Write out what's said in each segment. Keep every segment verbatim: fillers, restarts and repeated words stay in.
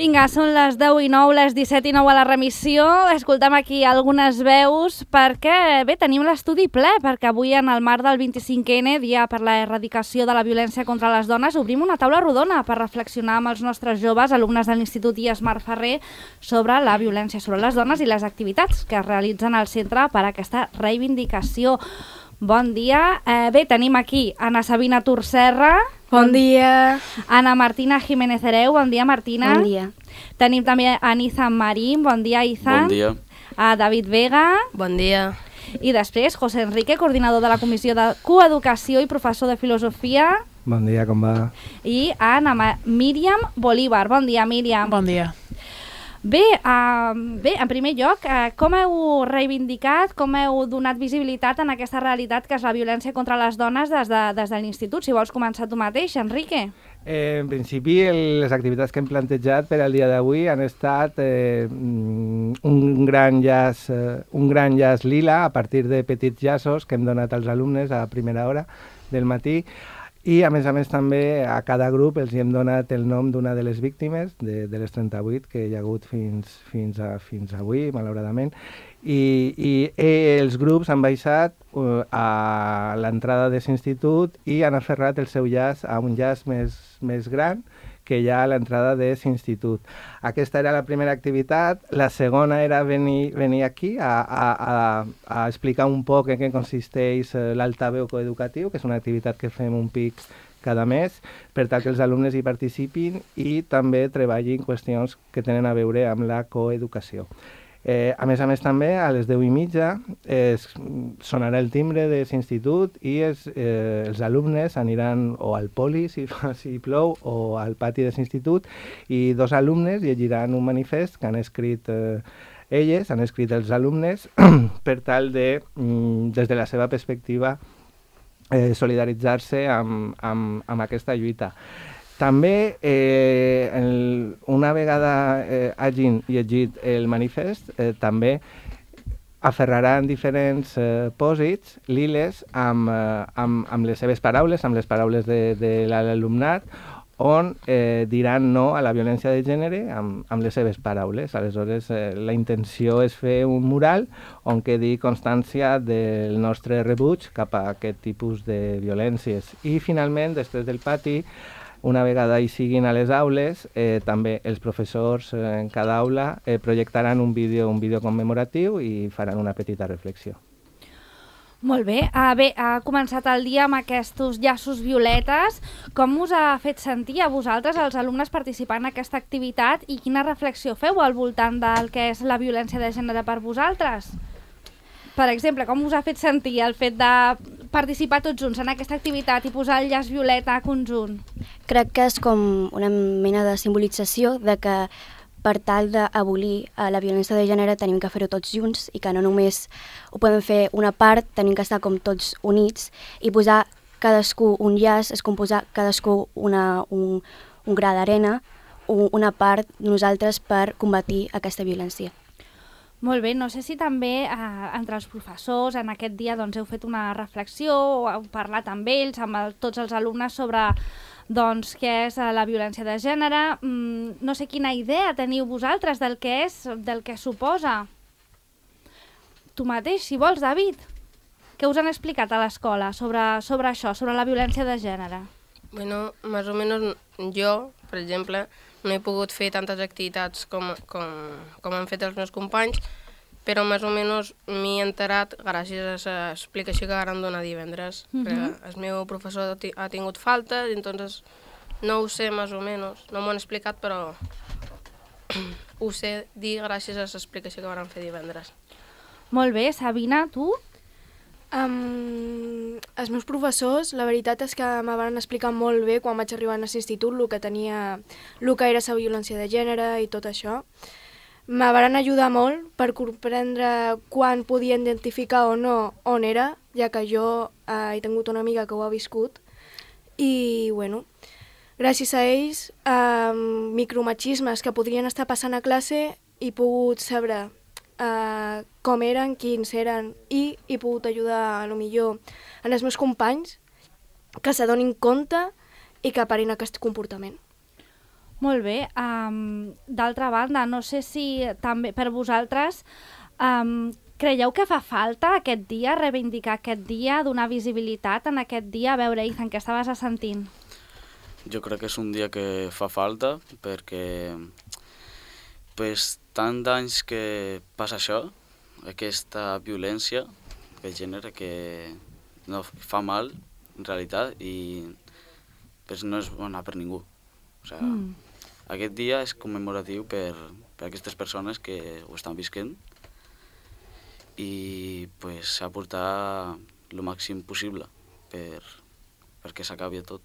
Vinga, són les deu i nou, les disset i nou a la remissió. Escoltem aquí algunes veus perquè, bé, tenim l'estudi ple, perquè avui en el marc del vint-i-cinquè ena, dia per la erradicació de la violència contra les dones, obrim una taula rodona per reflexionar amb els nostres joves, alumnes de l'Institut I E S Marc Ferrer, sobre la violència sobre les dones i les activitats que es realitzen al centre per a aquesta reivindicació. Bon dia. Eh, bé, tenim aquí Ana Sabina Turserra. Bon dia. Ana Martina Jiménez Hereu. Bon dia, Martina. Bon dia. Tenim també a Izan Marín. Bon dia, Izan. Bon dia. A David Vega. Bon dia. I després, José Enrique, coordinador de la Comissió de Coeducació i professor de Filosofia. Bon dia, com va? I a Ana Míriam Bolívar. Bon dia, Míriam. Bon dia. Bé, uh, bé, en primer lloc, uh, com heu reivindicat, com heu donat visibilitat en aquesta realitat que és la violència contra les dones des de, des de l'Institut? Si vols començar tu mateix, Enrique. Eh, en principi, el, les activitats que hem plantejat per al dia d'avui han estat eh, un gran llaç, eh, un gran llaç lila a partir de petits llaços que hem donat als alumnes a primera hora del matí. I, a més a més, també a cada grup els hem donat el nom d'una de les víctimes, de, de les trenta-vuit que hi ha hagut fins, fins, a, fins avui, malauradament. I, i eh, els grups han baixat uh, a l'entrada de l'institut i han aferrat el seu llaç a un llaç més, més gran que hi ha a l'entrada de l'institut. Aquesta era la primera activitat. La segona era venir, venir aquí a, a, a, a explicar un poc en què consisteix l'altaveu coeducatiu, que és una activitat que fem un pic cada mes, per tal que els alumnes hi participin i també treballin qüestions que tenen a veure amb la coeducació. Eh, a més a més també a les deu i mitja es sonarà el timbre de l'institut i es, eh, els alumnes aniran o al poli si, si plou o al pati de l'institut i dos alumnes llegiran un manifest que han escrit eh, elles, han escrit els alumnes per tal de, mm, des de la seva perspectiva, eh, solidaritzar-se amb, amb, amb aquesta lluita. També, eh, el, una vegada eh, hagin llegit el manifest, eh, també aferraran diferents eh, pòsits liles amb, eh, amb, amb les seves paraules, amb les paraules de, de l'alumnat, on eh, diran no a la violència de gènere amb, amb les seves paraules. Aleshores, eh, la intenció és fer un mural on quedi constància del nostre rebuig cap a aquest tipus de violències. I, finalment, després del pati, una vegada hi siguin a les aules, eh, també els professors eh, en cada aula eh, projectaran un vídeo, un vídeo commemoratiu i faran una petita reflexió. Molt bé. Uh, bé, ha començat el dia amb aquests llaços violetes. Com us ha fet sentir a vosaltres, els alumnes, participant en aquesta activitat i quina reflexió feu al voltant del que és la violència de gènere per vosaltres? Per exemple, com us ha fet sentir el fet de participar tots junts en aquesta activitat i posar el llaç violeta a conjunt? Crec que és com una mena de simbolització de que per tal d'abolir la violència de gènere tenim que fer-ho tots junts i que no només ho podem fer una part, tenim que estar com tots units i posar cadascú un llaç, és com posar cadascú una, un, un gra d'arena, una part de nosaltres per combatir aquesta violència. Molt bé, no sé si també eh, entre els professors en aquest dia doncs, heu fet una reflexió o heu parlat amb ells, amb el, tots els alumnes sobre doncs, què és la violència de gènere. Mm, no sé quina idea teniu vosaltres del que és, del que suposa. Tu mateix, si vols, David. Què us han explicat a l'escola sobre, sobre això, sobre la violència de gènere? Bueno, más o menos jo, per exemple, no he pogut fer tantes activitats com, com, com han fet els meus companys, però més o menys m'he enterat gràcies a l'explicació que van donar divendres. Uh -huh. El meu professor ha tingut falta, entonces no ho sé més o menys, no m'ho han explicat, però ho sé dir gràcies a l'explicació que van fer divendres. Molt bé, Sabina, tu? Um, els meus professors, la veritat és que me van explicar molt bé quan vaig arribar a l'institut el que tenia, el que era la violència de gènere i tot això. Me van ajudar molt per comprendre quan podia identificar o no on era, ja que jo eh, he tingut una amiga que ho ha viscut. I, bueno, gràcies a ells, eh, micromachismes que podrien estar passant a classe, he pogut saber Uh, com eren, quins eren, i he pogut ajudar, a lo millor, en els meus companys que s'adonin compte i que parin aquest comportament. Molt bé. Um, D'altra banda, no sé si també per vosaltres um, creieu que fa falta aquest dia, reivindicar aquest dia, donar visibilitat en aquest dia? A veure, Ethan, què estaves sentint? Jo crec que és un dia que fa falta perquè pues, tant d'anys que passa això, aquesta violència de gènere que no fa mal en realitat i pues, no és bona per ningú. O sigui, mm. Aquest dia és commemoratiu per, per aquestes persones que ho estan visquent i pues, s'ha de portar el màxim possible per, perquè s'acabi tot.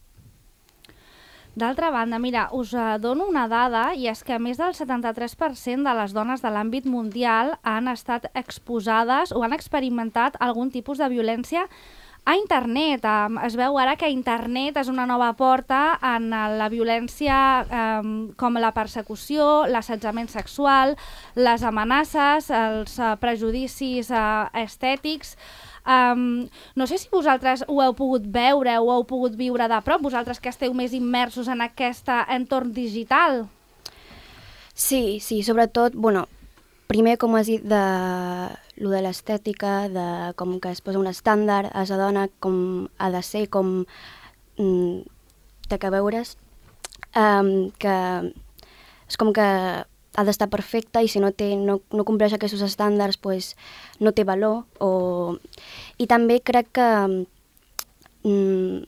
D'altra banda, mira, us dono una dada i és que més del setanta-tres per cent de les dones de l'àmbit mundial han estat exposades o han experimentat algun tipus de violència a internet. Es veu ara que internet és una nova porta en la violència com la persecució, l'assetjament sexual, les amenaces, els prejudicis estètics. Um, no sé si vosaltres ho heu pogut veure o heu pogut viure de prop, vosaltres que esteu més immersos en aquest entorn digital. Sí, sí, sobretot, bueno, primer, com has dit, de lo de l'estètica, de com que es posa un estàndard, es adona com ha de ser, com mm, té que veure's, um, que és com que ha d'estar perfecta i si no, té, no, no compleix aquests estàndards pues, no té valor. O... I també crec que, mm,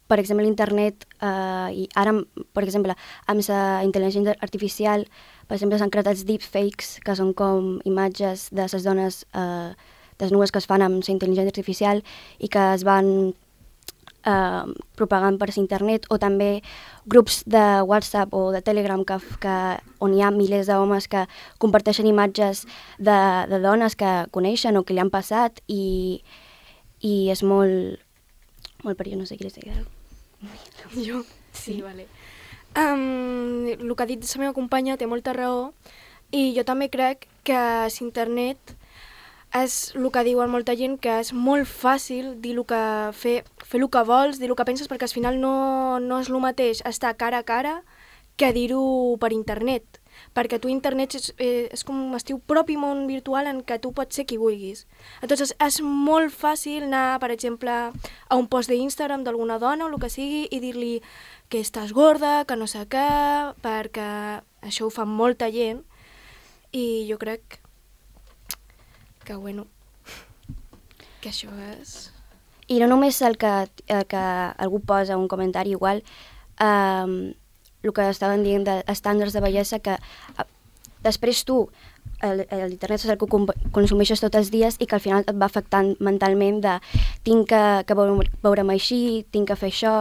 per exemple, l'internet, eh, i ara, per exemple, amb la intel·ligència artificial, per exemple, s'han creat els deepfakes, que són com imatges de les dones eh, desnudes que es fan amb la intel·ligència artificial i que es van Uh, propagant per internet, o també grups de WhatsApp o de Telegram que, que, on hi ha milers d'homes que comparteixen imatges de, de dones que coneixen o que li han passat i, i és molt, molt perillós, no sé qui les digui. Jo? Sí, sí. Vale. Um, el que ha dit la meva companya té molta raó i jo també crec que l'internet és el que diuen molta gent, que és molt fàcil dir el que fer, fer el que vols, dir el que penses, perquè al final no, no és el mateix estar cara a cara que dir-ho per internet. Perquè tu internet és, eh, és com el teu propi món virtual en què tu pots ser qui vulguis. Entonces és molt fàcil anar, per exemple, a un post d'Instagram d'alguna dona o el que sigui i dir-li que estàs gorda, que no sé què, perquè això ho fa molta gent i jo crec que, bueno, que això és... I no només el que, el que algú posa un comentari igual, eh, el que estaven dient d'estàndards de bellesa, que eh, després tu, l'internet és el que consumeixes tots els dies i que al final et va afectant mentalment de tinc que, que veure, veure'm així, tinc que fer això,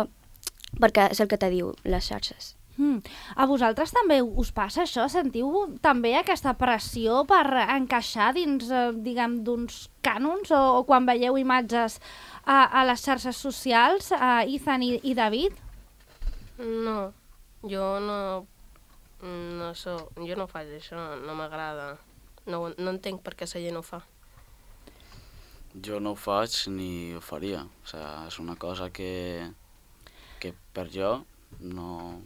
perquè és el que te diu les xarxes. Mm. A vosaltres també us passa això? Sentiu també aquesta pressió per encaixar dins, eh, diguem, d'uns cànons o, o quan veieu imatges a, a les xarxes socials, a Ethan i, i David? No, jo no, no so, jo no faig això, no m'agrada. No, no entenc per què la gent ho fa. Jo no ho faig ni ho faria. O sigui, és una cosa que, que per jo no...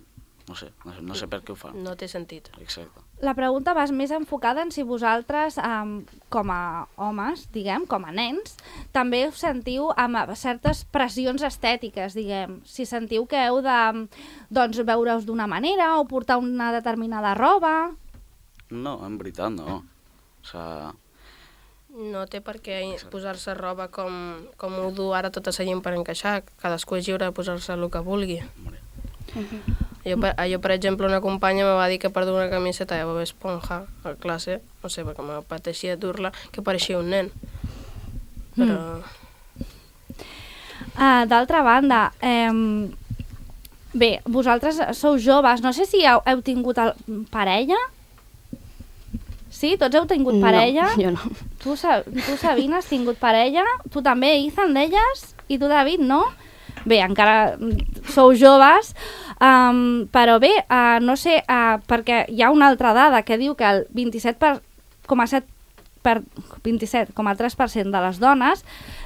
No sé, no sé, no sé per què ho fa. No té sentit. Exacte. La pregunta va més enfocada en si vosaltres, um, com a homes, diguem, com a nens, també us sentiu amb certes pressions estètiques, diguem. Si sentiu que heu de doncs, veure-us d'una manera o portar una determinada roba... No, en veritat no. O sigui... No té per què posar-se roba com, com ho du ara tota la gent per encaixar. Cadascú és lliure de posar-se el que vulgui. Uh-huh. Jo, per, jo, per exemple, una companya me va dir que per dur una camiseta de Bob Esponja a classe, no sé, perquè me pateixia dur-la, que pareixia un nen. Però... Mm. Uh, D'altra banda, eh, bé, vosaltres sou joves, no sé si heu, heu tingut el, parella? Sí? Tots heu tingut parella? No, jo no. Tu, tu Sabina, has tingut parella? Tu també, Ethan, deies? I tu, David, no? Bé, encara sou joves, um, però bé, uh, no sé, uh, perquè hi ha una altra dada que diu que el vint-i-set coma set vint-i-set coma tres per cent de les dones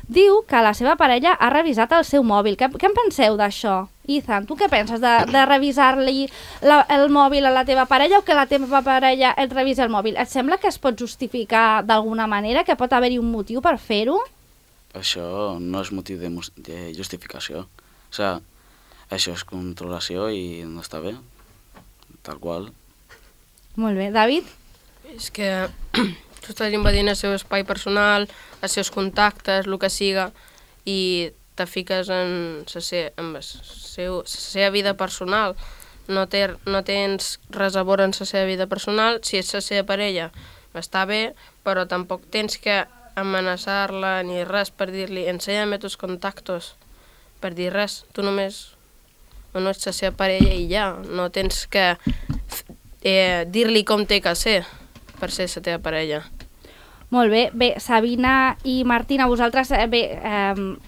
diu que la seva parella ha revisat el seu mòbil. Què, què en penseu d'això? Ethan, tu què penses de, de revisar-li la, el mòbil a la teva parella o que la teva parella et revisi el mòbil? Et sembla que es pot justificar d'alguna manera, que pot haver-hi un motiu per fer-ho? Això no és motiu de, de justificació. O sigui, això és controlació i no està bé, tal qual. Molt bé. David? És que tu estàs invadint el seu espai personal, els seus contactes, el que siga, i te fiques en la se, seu, seva vida personal. No, té, no tens res a veure en la seva vida personal. Si és la seva parella, està bé, però tampoc tens que amenaçar-la ni res per dir-li ensenya'm tus contactos, per dir res. Tu només no ets la seva parella i ja. No tens que eh, dir-li com té que ser per ser la teva parella. Molt bé. Bé, Sabina i Martina, vosaltres, eh, bé, eh,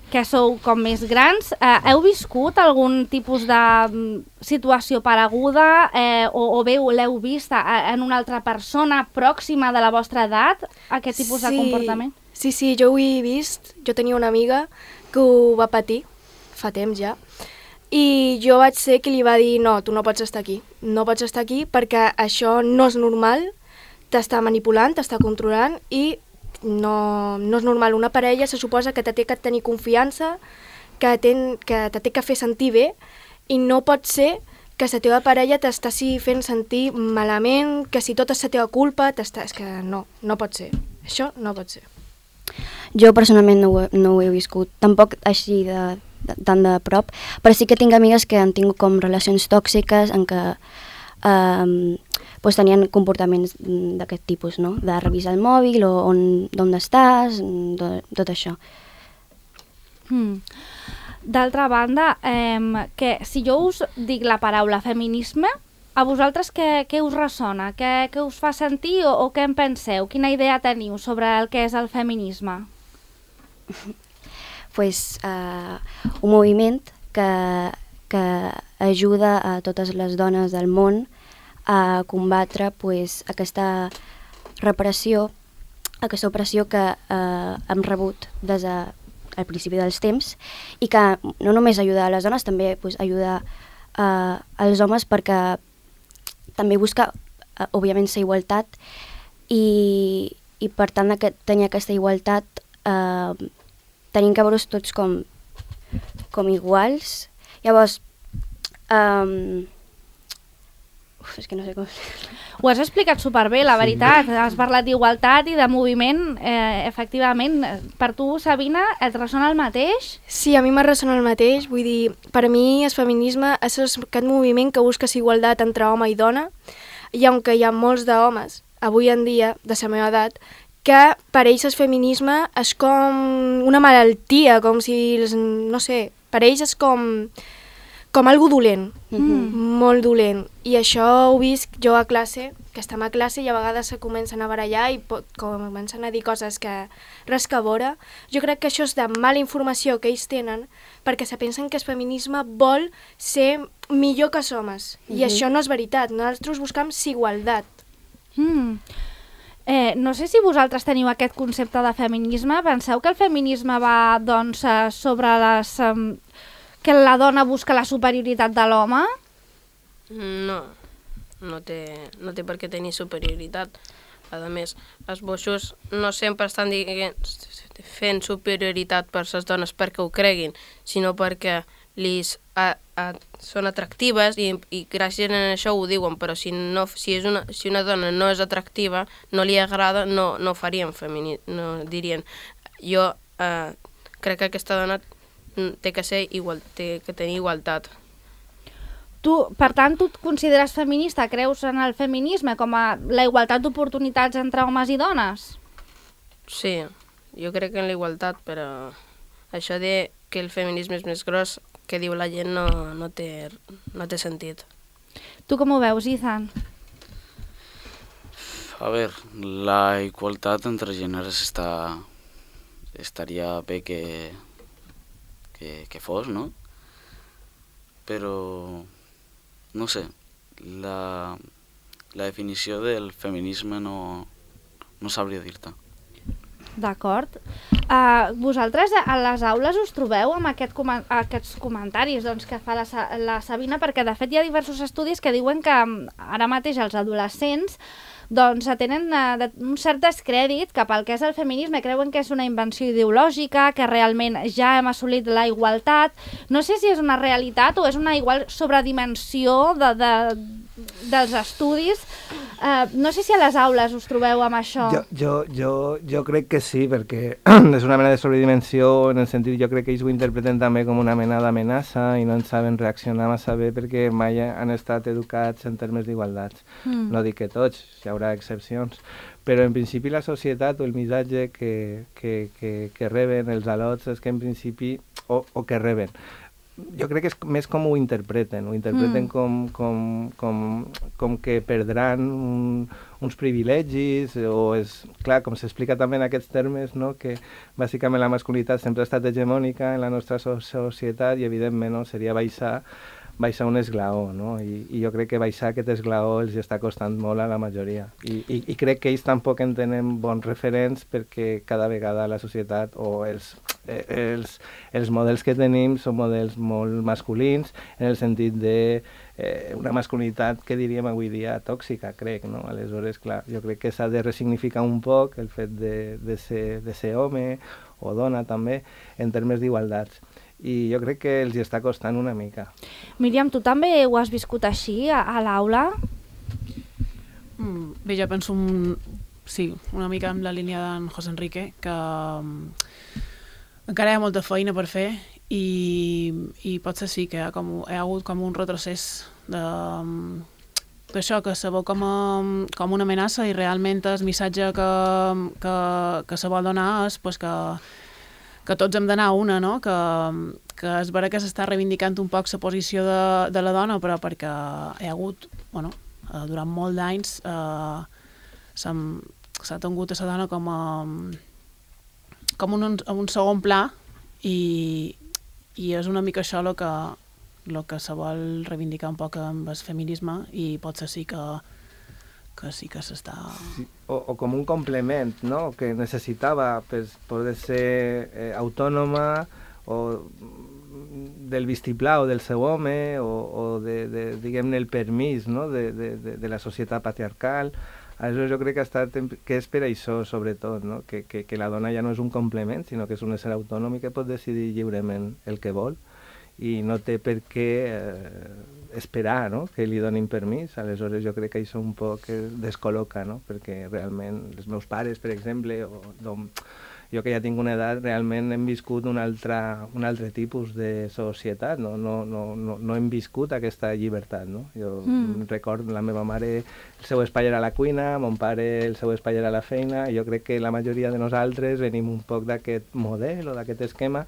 que sou com més grans, eh, heu viscut algun tipus de mm, situació pareguda eh, o, o bé l'heu vist a, en una altra persona pròxima de la vostra edat, aquest tipus sí, de comportament? Sí, sí, jo ho he vist. Jo tenia una amiga que ho va patir fa temps ja, i jo vaig ser qui li va dir no, tu no pots estar aquí, no pots estar aquí perquè això no és normal, t'està manipulant, t'està controlant i no, no és normal. Una parella se suposa que te té que tenir confiança, que, ten, que te té que fer sentir bé i no pot ser que la teva parella t'estàs fent sentir malament, que si tot és la teva culpa, t'està... és que no, no pot ser. Això no pot ser. Jo personalment no ho, he, no ho he viscut, tampoc així de, de, tant de prop, però sí que tinc amigues que han tingut com relacions tòxiques en què eh, pues tenien comportaments d'aquest tipus, no? De revisar el mòbil o on, on estàs, tot, tot això. Hmm. D'altra banda, eh, que si jo us dic la paraula feminisme, a vosaltres què, què us ressona? Què, què us fa sentir o, o què en penseu? Quina idea teniu sobre el que és el feminisme? Pues, eh, un moviment que, que ajuda a totes les dones del món a combatre pues, aquesta repressió, aquesta opressió que eh, hem rebut des del de, principi dels temps i que no només ajuda a les dones, també pues, ajuda eh, als homes perquè també busca, eh, òbviament, la igualtat i, i per tant de tenir aquesta igualtat eh, tenim que veure's tots com, com iguals. Llavors, eh, Uf, és que no sé com... Ho has explicat superbé, la veritat. Sí. Has parlat d'igualtat i de moviment. Eh, efectivament, per tu, Sabina, et ressona el mateix? Sí, a mi me ressona el mateix. Vull dir, per a mi el feminisme és aquest moviment que busca igualtat entre home i dona, i aunque hi ha molts d'homes, avui en dia, de la meva edat, que per ells el feminisme és com una malaltia, com si, no sé, per ells és com... com algo dolent, mm-hmm. molt dolent. I això ho visc jo a classe, que estem a classe i a vegades se comencen a barallar i pot, comencen a dir coses que res que veure. Jo crec que això és de mala informació que ells tenen perquè se pensen que el feminisme vol ser millor que els homes. Mm-hmm. I això no és veritat. Nosaltres buscam igualtat. Mm. Eh, no sé si vosaltres teniu aquest concepte de feminisme. Penseu que el feminisme va doncs, sobre les... Um, que la dona busca la superioritat de l'home? No, no té, no té per què tenir superioritat. A més, els boixos no sempre estan dient, fent superioritat per les dones perquè ho creguin, sinó perquè lis, a, a, són atractives i, i gràcies a això ho diuen, però si, no, si, és una, si una dona no és atractiva, no li agrada, no, no farien femini, no dirien. Jo eh, crec que aquesta dona té que ser igual, té que tenir igualtat. Tu, per tant, tu et consideres feminista? Creus en el feminisme com a la igualtat d'oportunitats entre homes i dones? Sí, jo crec en la igualtat, però això de que el feminisme és més gros que diu la gent no, no, té, no té sentit. Tu com ho veus, Ethan? A ver, la igualtat entre gèneres està, estaria bé que Que, que fos, no? Però, no sé, la, la definició del feminisme no, no sabria dir-te. D'acord. Uh, vosaltres a les aules us trobeu amb aquest com aquests comentaris doncs, que fa la, Sa la Sabina, perquè de fet hi ha diversos estudis que diuen que ara mateix els adolescents doncs tenen uh, un cert descrèdit cap al que és el feminisme, creuen que és una invenció ideològica, que realment ja hem assolit la igualtat. No sé si és una realitat o és una igual sobredimensió de, de, dels estudis. Uh, no sé si a les aules us trobeu amb això. Jo, jo, jo, jo crec que sí, perquè és una mena de sobredimensió, en el sentit, jo crec que ells ho interpreten també com una mena d'amenaça i no en saben reaccionar massa bé perquè mai han estat educats en termes d'igualtats. Mm. No dic que tots, hi haurà excepcions, però en principi la societat o el missatge que, que, que, que reben els alots és que en principi, o, o que reben, jo crec que és més com ho interpreten, ho interpreten mm. com, com, com, com que perdran un, uns privilegis, o és, clar, com s'explica també en aquests termes, no? Que bàsicament la masculinitat sempre ha estat hegemònica en la nostra so societat i evidentment no? Seria baixar, baixar un esglaó, no? I, i jo crec que baixar aquest esglaó els està costant molt a la majoria. I, i, i crec que ells tampoc en tenen bons referents perquè cada vegada la societat o els Els, els models que tenim són models molt masculins, en el sentit de eh, una masculinitat que diríem avui dia tòxica, crec, no? Aleshores, clar, jo crec que s'ha de resignificar un poc el fet de, de, ser, de ser home o dona també, en termes d'igualtats. I jo crec que els hi està costant una mica. Míriam, tu també ho has viscut així a, a l'aula? Mm, bé, jo penso un, sí, una mica en la línia d'en José Enrique, que encara hi ha molta feina per fer i, i potser sí que hi ha, com, hi ha hagut com un retrocés d'això, que se veu com, a, com una amenaça i realment el missatge que, que, que se vol donar és pues, que, que tots hem d'anar a una, no? que, que és vera que s'està reivindicant un poc la posició de, de la dona, però perquè hi ha hagut, bueno, durant molt d'anys eh, s'ha tingut a la dona com a com un, un segon pla i, i és una mica això el que, lo que se vol reivindicar un poc amb el feminisme i potser sí que, que sí que s'està... Sí, o, o com un complement, no?, que necessitava per poder ser eh, autònoma o del vistiplau del seu home o, o de, de diguem-ne, el permís, no?, de, de, de, de la societat patriarcal. Aleshores jo crec que, ha estat, que és per això, sobretot, no? que, que, que la dona ja no és un complement, sinó que és un ésser autònom i que pot decidir lliurement el que vol i no té per què eh, esperar, no? Que li donin permís. Aleshores jo crec que això un poc descol·loca, no? Perquè realment els meus pares, per exemple, o jo que ja tinc una edat, realment hem viscut un altre, un altre tipus de societat, no, no, no, no, no hem viscut aquesta llibertat, no? Jo mm. recordo la meva mare, el seu espai era la cuina, mon pare el seu espai era la feina, i jo crec que la majoria de nosaltres venim un poc d'aquest model o d'aquest esquema,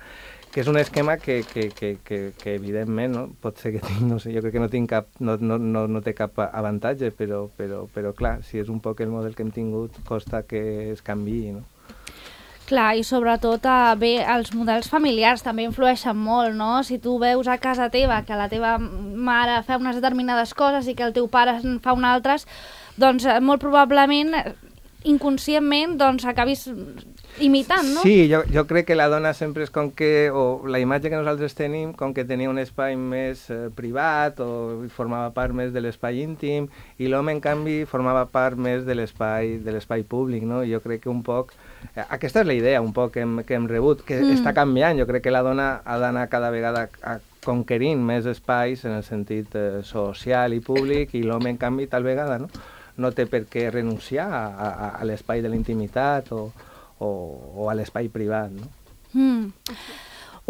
que és un esquema que, que, que, que, que evidentment, no? Pot ser que tinc, no sé, jo crec que no, tinc cap, no, no, no, no té cap avantatge, però, però, però clar, si és un poc el model que hem tingut, costa que es canviï, no? Clar, i sobretot eh, bé, els models familiars també influeixen molt, no? Si tu veus a casa teva que la teva mare fa unes determinades coses i que el teu pare en fa unes altres, doncs eh, molt probablement, inconscientment, doncs acabis imitant, no? Sí, jo, jo crec que la dona sempre és com que, o la imatge que nosaltres tenim, com que tenia un espai més eh, privat o formava part més de l'espai íntim, i l'home, en canvi, formava part més de l'espai de l'espai públic, no? I jo crec que un poc... Aquesta és la idea un poc que hem, que hem rebut, que mm. està canviant. Jo crec que la dona ha d'anar cada vegada a conquerint més espais en el sentit eh, social i públic, i l'home, en canvi, tal vegada no, no té per què renunciar a, a, a l'espai de la intimitat o, o, o a l'espai privat, no? Mm.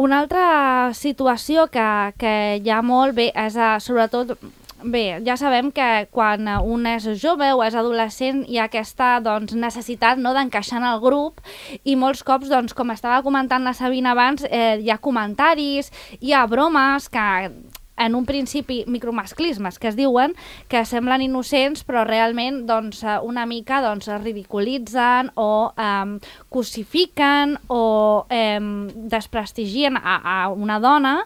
Una altra situació que, que hi ha molt bé és, a, sobretot, bé, ja sabem que quan un és jove o és adolescent hi ha aquesta doncs, necessitat, no, d'encaixar en el grup, i molts cops, doncs, com estava comentant la Sabina abans, eh, hi ha comentaris, hi ha bromes que en un principi micromasclismes que es diuen, que semblen innocents però realment doncs, una mica doncs, ridiculitzen o eh, cosifiquen o eh, desprestigien a, a una dona.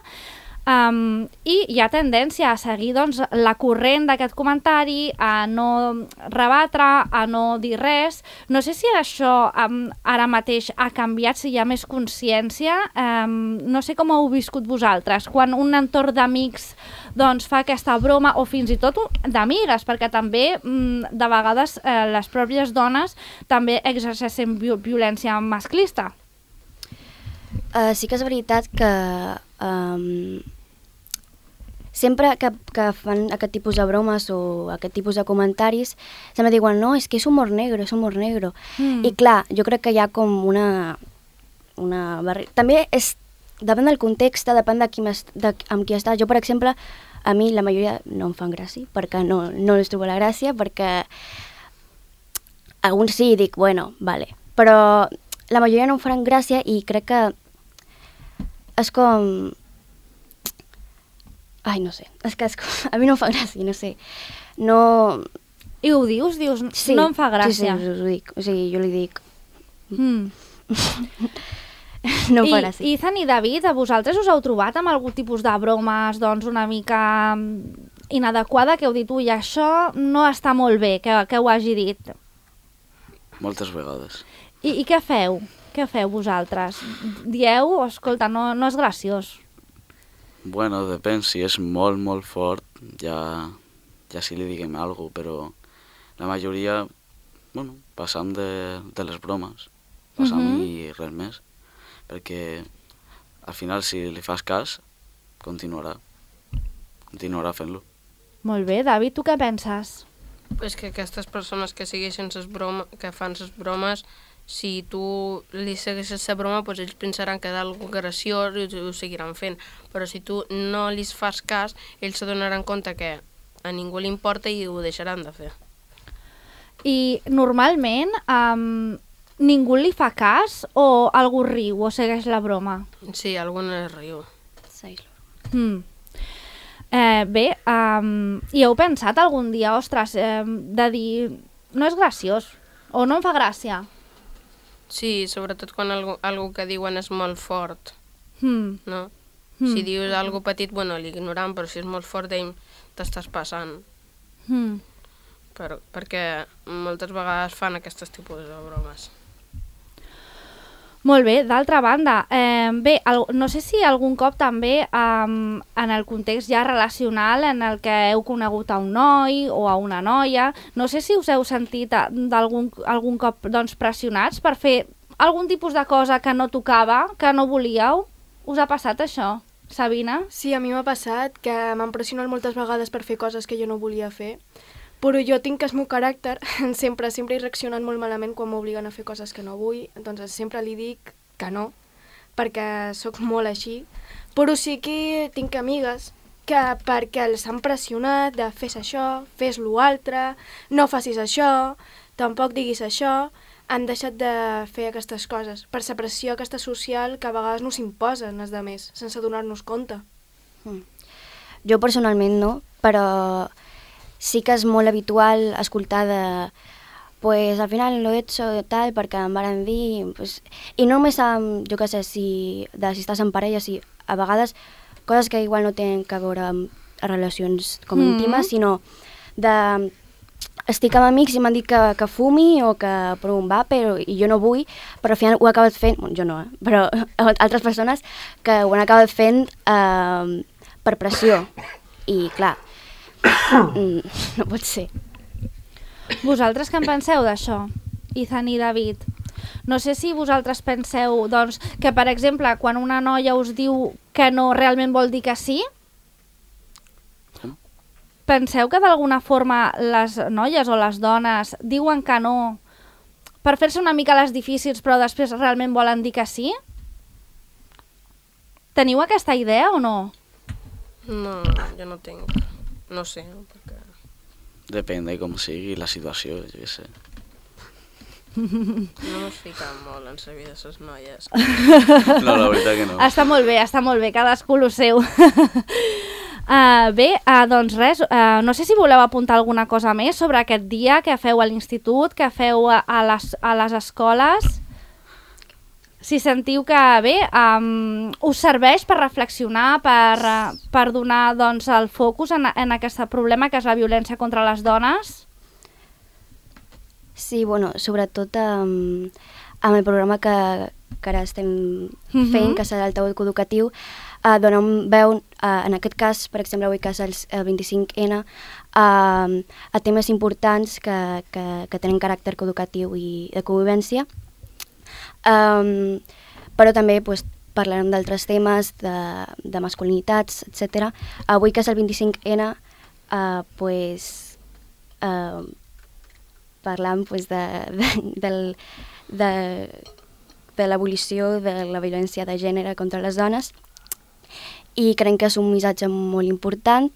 Um, I hi ha tendència a seguir doncs, la corrent d'aquest comentari, a no rebatre, a no dir res. No sé si això um, ara mateix ha canviat, si hi ha més consciència. Um, no sé com ho heu viscut vosaltres, quan un entorn d'amics doncs, fa aquesta broma, o fins i tot d'amigues, perquè també um, de vegades eh, les pròpies dones també exerceixen vi violència masclista. Uh, sí que és veritat que um, sempre que, que fan aquest tipus de bromes o aquest tipus de comentaris, sempre diuen, no, és que és humor negro, és humor negro. Mm. I clar, jo crec que hi ha com una... una barri... També és, depèn del context, depèn de qui de, amb qui estàs. Jo, per exemple, a mi la majoria no em fan gràcia, perquè no, no els trobo la gràcia, perquè alguns sí, dic, bueno, vale. Però la majoria no em faran gràcia i crec que és com... Ai, no sé, és que és com... a mi no em fa gràcia, no sé. No... I ho dius? Dius, sí, no em fa gràcia. Sí, sí, us ho dic. O sigui, jo li dic... Mm. No em fa I, gràcia. I Ethan i David, a vosaltres us heu trobat amb algun tipus de bromes doncs, una mica inadequada, que heu dit, ui, això no està molt bé, que, que ho hagi dit? Moltes vegades. I, i què feu? Què feu vosaltres? Dieu, escolta, no, no és graciós. Bueno, depèn, si és molt, molt fort, ja, ja sí li diguem alguna cosa, però la majoria, bueno, passam de, de les bromes, passam uh -huh. i res més, perquè al final si li fas cas, continuarà, continuarà fent-lo. Molt bé, David, tu què penses? Pues que aquestes persones que segueixen ses bromes, que fan les bromes, si tu li segueixes la broma, pues ells pensaran que és algo graciós i ho seguiran fent. Però si tu no li fas cas, ells se donaran compte que a ningú li importa i ho deixaran de fer. I normalment um, ningú li fa cas o algú riu o segueix la broma? Sí, algú no riu. Sí. Mm. Eh, bé, um, i heu pensat algun dia, ostres, eh, de dir no és graciós o no em fa gràcia? Sí, sobretot quan algo, algo que diuen és molt fort, Mm. no? Mm. Si dius algo petit, bueno, l'ignoram, però si és molt fort, d'ell t'estàs passant. Mm. Per, perquè moltes vegades fan aquests tipus de bromes. Molt bé, d'altra banda, eh, bé, el, no sé si algun cop també eh, en el context ja relacional en el que heu conegut a un noi o a una noia, no sé si us heu sentit d'algun algun cop doncs, pressionats per fer algun tipus de cosa que no tocava, que no volíeu? Us ha passat això, Sabina? Sí, a mi m'ha passat que m'han pressionat moltes vegades per fer coses que jo no volia fer, però jo tinc el meu caràcter, sempre sempre he reaccionat molt malament quan m'obliguen a fer coses que no vull, doncs sempre li dic que no, perquè sóc molt així, però sí que tinc amigues que perquè els han pressionat de fes això, fes l'altre, no facis això, tampoc diguis això, han deixat de fer aquestes coses, per la pressió aquesta social que a vegades no s'imposen els altres, sense donar-nos compte. Mm. Jo personalment no, però sí que és molt habitual escoltar de pues al final lo he hecho tal perquè em varen dir pues, i no només amb, jo què sé, si, de si estàs en parella, si a vegades coses que igual no tenen que veure amb relacions com mm. íntimes, sinó de estic amb amics i m'han dit que, que fumi o que provi un vape i jo no vull, però al final ho he acabat fent, bueno, jo no, eh? Però altres persones que ho han acabat fent eh, per pressió i clar, no pot ser. Vosaltres què en penseu d'això, Ethan i David? No sé si vosaltres penseu doncs, que, per exemple, quan una noia us diu que no realment vol dir que sí, penseu que d'alguna forma les noies o les dones diuen que no per fer-se una mica les difícils però després realment volen dir que sí? Teniu aquesta idea o no? No, jo no tinc. No sé, perquè... Depèn de com sigui la situació, jo què sé. No ens fiquem molt en la vida de les noies. No, la veritat que no. Està molt bé, està molt bé, cadascú lo seu. Uh, bé, uh, doncs res, uh, no sé si voleu apuntar alguna cosa més sobre aquest dia que feu a l'institut, que feu a, a, les, a les escoles. si sentiu que bé, um, us serveix per reflexionar, per, uh, per donar doncs, el focus en, en aquest problema que és la violència contra les dones. Sí, bueno, sobretot um, amb el programa que, que ara estem fent, uh-huh. que serà el taüt educatiu, uh, dona un veu, uh, en aquest cas, per exemple, avui que és el, el vint-i-cinc ena, uh, a temes importants que, que, que tenen caràcter educatiu i de convivència. Um, però també pues, parlarem d'altres temes, de, de masculinitats, etcètera. Avui que és el vint-i-cinc ena, uh, pues, uh, parlam pues, de, de, del, de, de l'abolició de la violència de gènere contra les dones, i crec que és un missatge molt important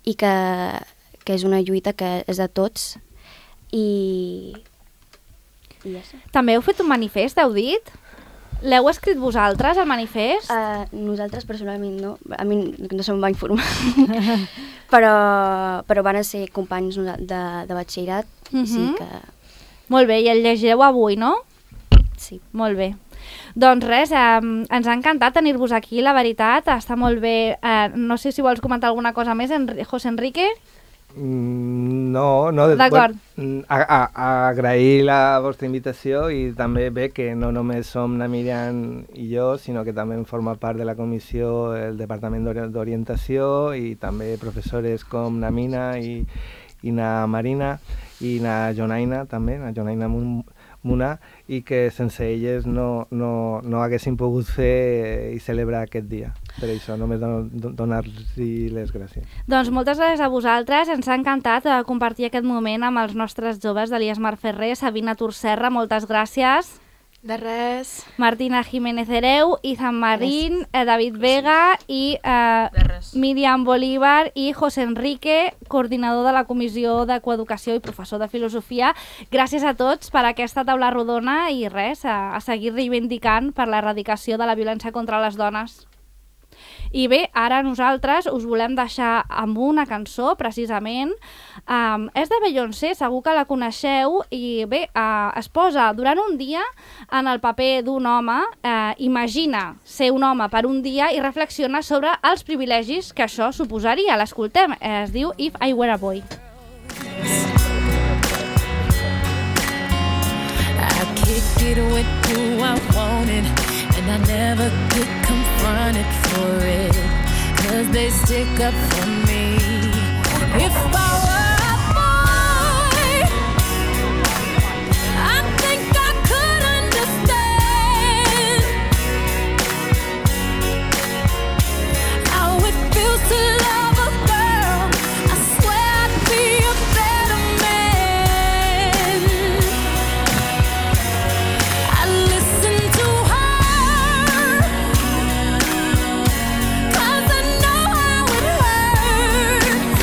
i que, que és una lluita que és de tots. I... I ja sé. També heu fet un manifest, heu dit? L'heu escrit vosaltres, el manifest? Uh, nosaltres personalment no, a mi no se'm va informar, però, però van ser companys de, de batxillerat, uh-huh. sí que... Molt bé, i el llegireu avui, no? Sí. Molt bé. Doncs res, eh, ens ha encantat tenir-vos aquí, la veritat, està molt bé. Eh, no sé si vols comentar alguna cosa més, Enri- José Enrique? Mm, no, no. D'acord. Bueno, a, a, a agrair la vostra invitació i també bé que no només som na Míriam i jo, sinó que també forma part de la comissió el Departament d'Orientació i també professores com na Mina i, i na Marina i na Jonaina també, na Jonaina Muna, i que sense elles no, no, no haguéssim pogut fer i celebrar aquest dia. Per això, només donar-los les gràcies. Doncs moltes gràcies a vosaltres, ens ha encantat eh, compartir aquest moment amb els nostres joves d'Elias Mar Ferrer, Sabina Turserra, moltes gràcies. De res. Martina Jiménez Hereu, Izan Marín, eh, David Vega i eh, Míriam Bolívar i José Enrique, coordinador de la Comissió de Coeducació i professor de Filosofia. Gràcies a tots per aquesta taula rodona i res, a, a seguir reivindicant per l'erradicació de la violència contra les dones. I bé, ara nosaltres us volem deixar amb una cançó, precisament. Um, és de Beyoncé, segur que la coneixeu, i bé, uh, es posa durant un dia en el paper d'un home, uh, imagina ser un home per un dia i reflexiona sobre els privilegis que això suposaria. L'escoltem, es diu If I Were a Boy. I kicked it with who I wanted, and I never get confronted for it, 'cause they stick up for me. If I were a boy, I think I could understand how it feels to love a girl. I swear I'd be a better man. I listen to her, 'cause I know how it hurts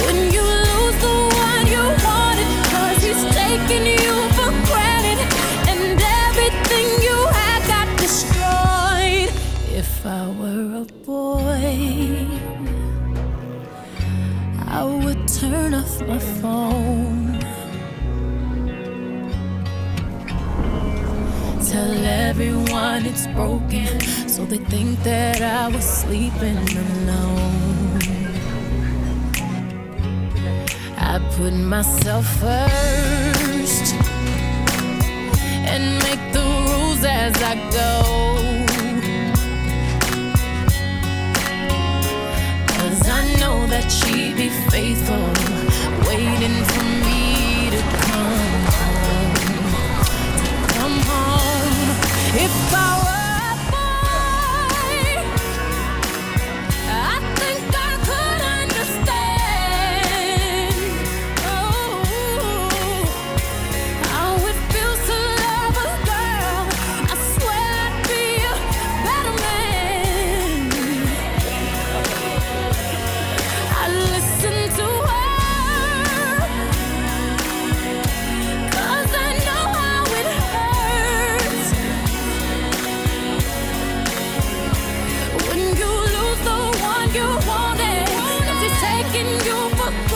when you lose the one you wanted, 'cause he's taking you for granted and everything you had got destroyed. If I were a boy, I would turn off my phone, tell everyone it's broken, so they think that I was sleeping alone. I put myself first and make the rules as I go, 'cause I know that she'd be faithful, waiting for me to come home, to come home. If I were a boy, I think I could understand, oh, how it feels to love a girl. I swear I'd be a better man. I listen to her, 'cause I know how it hurts when you lose the one you wanted, 'cause he's taking you for granted.